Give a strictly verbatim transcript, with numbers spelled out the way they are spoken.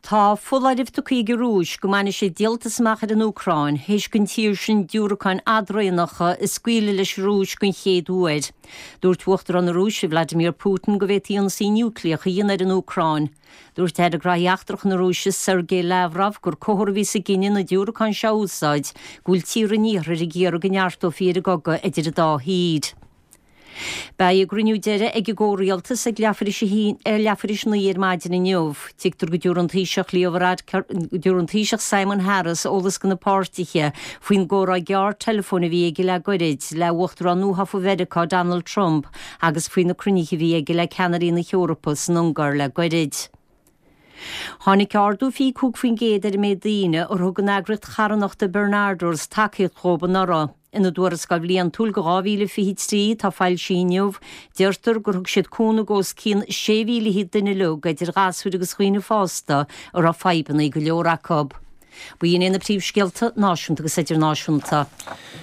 Tá foláireamh tugtha ag an Rúis go mbainfidh siad díoltas amach ar an Úcráin théis don tír sin diúracáin fhadraonacha a scaoileadh leis an Rúis den chéad uair. Dúirt Uachtarán na Rúise Vladimir Putin go bhféadfaí ionsaí núicléach a dhéanamh ar an Úcráin. Dúirt Aire Gnóthaí Eachtracha na Rúise Sergei Lavrov gur comhartha a bhí sa gcinneadh na diúracáin seo a úsáid go bhfuil tíortha an iarthair ag iarraidh go neartófaí ar an gcogadh idir an dá thír. Beidh a gcruinniú deiridh ag an gcomhrialtas ag leathuair tar éis a naoi ar maidin inniu. Tuigtear go dtabharfaidh an Taoiseach Leo Varadkar go dtabharfaidh an Taoiseach Simon Harris eolas do na páirtithe faoin gcomhrá gearr teileafóin a bhí aige le gairid le Uachtarán nuathofa Mheiriceá Donald Trump agus faoi na cruinnithe a bhí aige le ceannairí na hEorpa san Ungáir le gairid. Tháinig ardú fiche cúig faoin gcéad ar an méid daoine ar thug an eagraíocht charthanachta Barnardo's tacaíocht dhóibh anuraidh. Ina dtuarascáil bhliantúil do dhá mhíle fiche trí atá foilsithe inniu, deirtear gur thug siad cúnamh d'os cionn sé mhíle fichead duine uilig, idir ghasúir agus dhaoine fásta, a raibh fadhbanna go leor acu. B'in iad na príomhscéalta náisiúnta agus idirnáisiúnta.